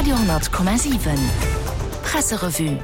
Radio 10,7 Presserevue.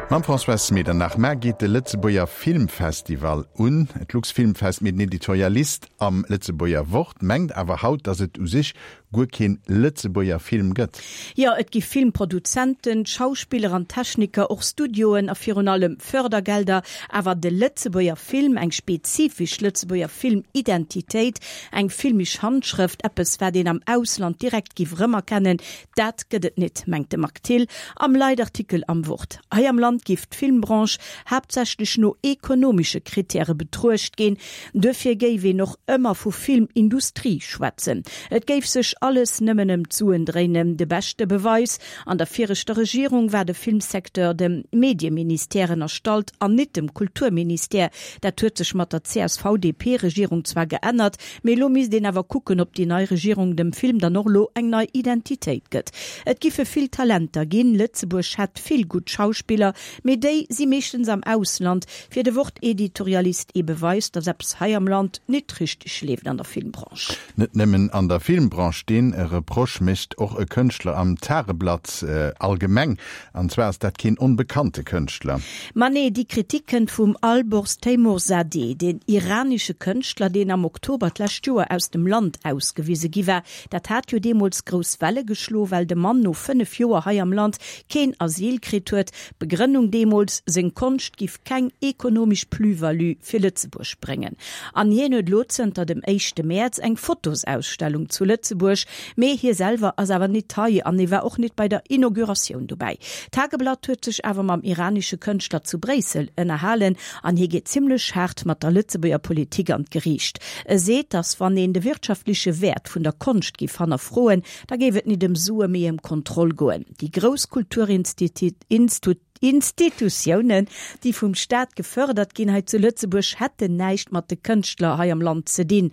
Mam Françoise Medernach. Mar geet de Lëtzebuerger Filmfestival un, d'Luxfilmfest, mee den Editorialist am Lëtzebuerger Wort mengt awer haut, datt et u sech guer keen Lëtzebuerger Film gëtt. Jo, et gi Filmproduzenten, Schauspiller an Techniker, och Studioen a virun allem Fördergelder. Awer de Lëtzebuerger Film, eng spezifesch Lëtzebuerger Filmidentitéit, eng filmisch Handschrëft, eppes wat een am Ausland direkt giff erëmerkennen, dat gëtt et nit, mengt de Marc Thill am Leitartikel am Wort. Hei am Land giff d'Filmbranche haaptsächlech no ekonomesche Krittäre betruecht ginn. Duerfir géif een och ëmmer vu Filmindustrie schwätzen. Et géif sech alles nëmmen ëm d'Suen dréinen. De beschte Beweis, An der viregter Regierung war de Filmsecteur dem Medieministère ënnerstallt an nit dem Kulturministère. Dat huet sech mat der CSV-DP-Regierung zwar geännert, mee elo misst een awer kucken, ob déi nei Regierung dem Film dann och elo eng nei Identitéit gëtt. Et giffe vill Talenter ginn, Lëtzebuerg hätt vill gutt Schauspiller, mee déi si meeschtens am Ausland. Fir de Wort-Editorialist ee Beweis, datt eppes hei am Land nit richteg leeft an der Filmbranche. Net nëmmen an der Filmbranche, dee Reproche mécht och e Kënschtler am Tageblatt allgemeng. An zwar ass dat keen onbekannte Kënschtler. Ma nee, déi Kritik kënnt vum Alborz Teymoorzadeh, deen iranesche Kënschtler, deen am Oktober d'lescht Joer aus dem Land ausgewise gi war. Dat hat jo deemools grouss Welle geschlo, well de Mann no 5 Joer hei am Land keen Asyl kritt huet. D'Begrënnung deemools, seng Konscht giff keng ekonomesch Plus-value fir Lëtzebuerg bréngen. An hien huet elo zënter dem éischte Mäerz eng Fotosausstellung zu Lëtzebuerg, mee hie selwer ass awer nit hei an e war och nit bei der Inauguratioun dobäi. D'Tageblatt huet sech awer mam iranesche Kënschtler zu Bréissel ënnerhalen an hie geet zimmlech haart mat der Lëtzebuerger Politik an d'Geriicht. E seet, datt wann een de wirtschaftleche Wäert vun der Konscht giff hannerfroen, da géif et nit ëm Sue mee ëm Kontroll goen. Déi grouss Kulturinstitutiounen, déi vum Staat gefërdert ginn hei zu Lëtzebuerg, hätten näischt mat de Kënschtler hei am Land ze dinn,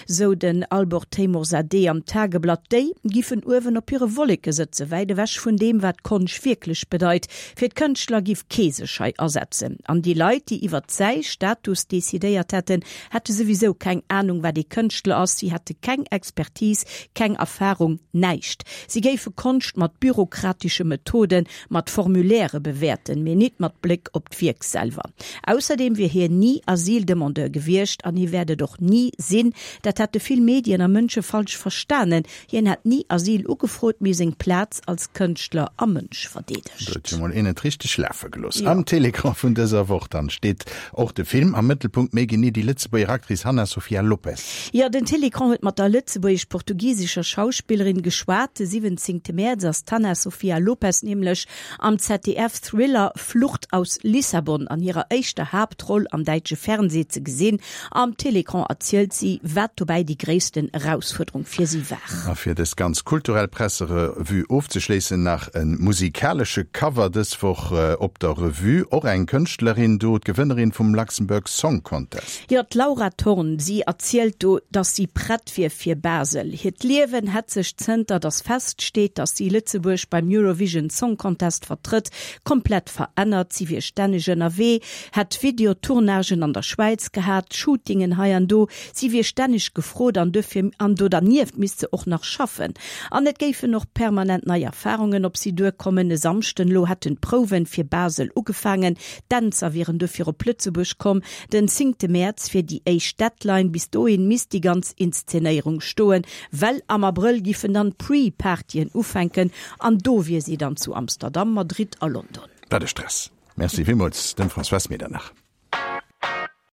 sou den Albert Teymoorzadeh am Tageblatt. Déi giffen uewen op hire Wolleke sëtzen, wäit ewech vun deem, wat Konscht wierklech bedeit. Fir d'Kënschtler giff kee sech hei asetzen. An déi Leit, déi iwwert säi Status decidéiert hätten, hätte souwisou keng Anung, wat ee Kënschtler ass, si hätte keng Expertise, keng Erfarung, näischt. Si géife Konscht mat bürokratesche Methoden, mat Formulairë bewäerten, mee nit mat Bléck op d'Wierk selwer. Ausserdeem wier hien ni Asyldemandeur gewiescht an hie wäert et och ni sinn. Dat hätte vill Medien a Mënsche falsch verstanen. Hien hätt ni Asyl ugefrot, mee seng Plaz als Kënschtler a Mënsch verdeedegt. Do huet jo mol een et richteg lafe gelooss. Am Télécran vun dëser Woch dann steet och de Film am Mëttelpunkt, méi genee déi Lëtzebuerger Actrice Hanna Sofia Lopes. Jo, den Télécran huet mat der lëtzebuergesch-portugisescher Schauspillerin geschwat. De 17 Mäerz ass d'Hanna Sofia Lopes nämlech am ZDF-Thriller Flucht aus Lissabon an hirer éischter Haaptroll am däitsche Fernsee ze gesinn. Am Télécran erzielt si, wat dobäi déi gréissten Erausfuerderung fir si war. A fir dës ganz kulturell Presserevue ofzeschléissen, nach e musikalesche Cover dës Woch op der Revue. Och eng Kënschtlerin do, d'Gewënnerin vum Luxembourg Song Contest. Jo, d'Laura Thorn. Si erzielt do, dass si prett wier fir Basel. Hiert Liewen hätt sech zënter dass feststeet, dass si Lëtzebuerg beim Eurovision Song Contest vertrëtt, komplett verännert. Si wier stänneg ënnerwee, hätt Video-Tournagen an der Schwäiz gehat, Shootingen hei an do. Si wier stänneg gefrot an duerfir an do dernieft misst se och nach schaffen. An et géifen och permanent nei Erfarungen op si duerkommen. E Samschden elo hätten d'Prouwen fir Basel ugefaangen, d'Dänzer wieren duerfir op Lëtzebuerg komm. Den zéngte Mäerz wier déi éischt Deadline, bis dohin misst déi ganz Inszenéierung stoen, well am Abrëll giffen dann d'Pre-Partyen ufänken an do wier si dann zu Amsterdam, Madrid a London. Wat e Stress! Merci villmools dem Françoise Medernach.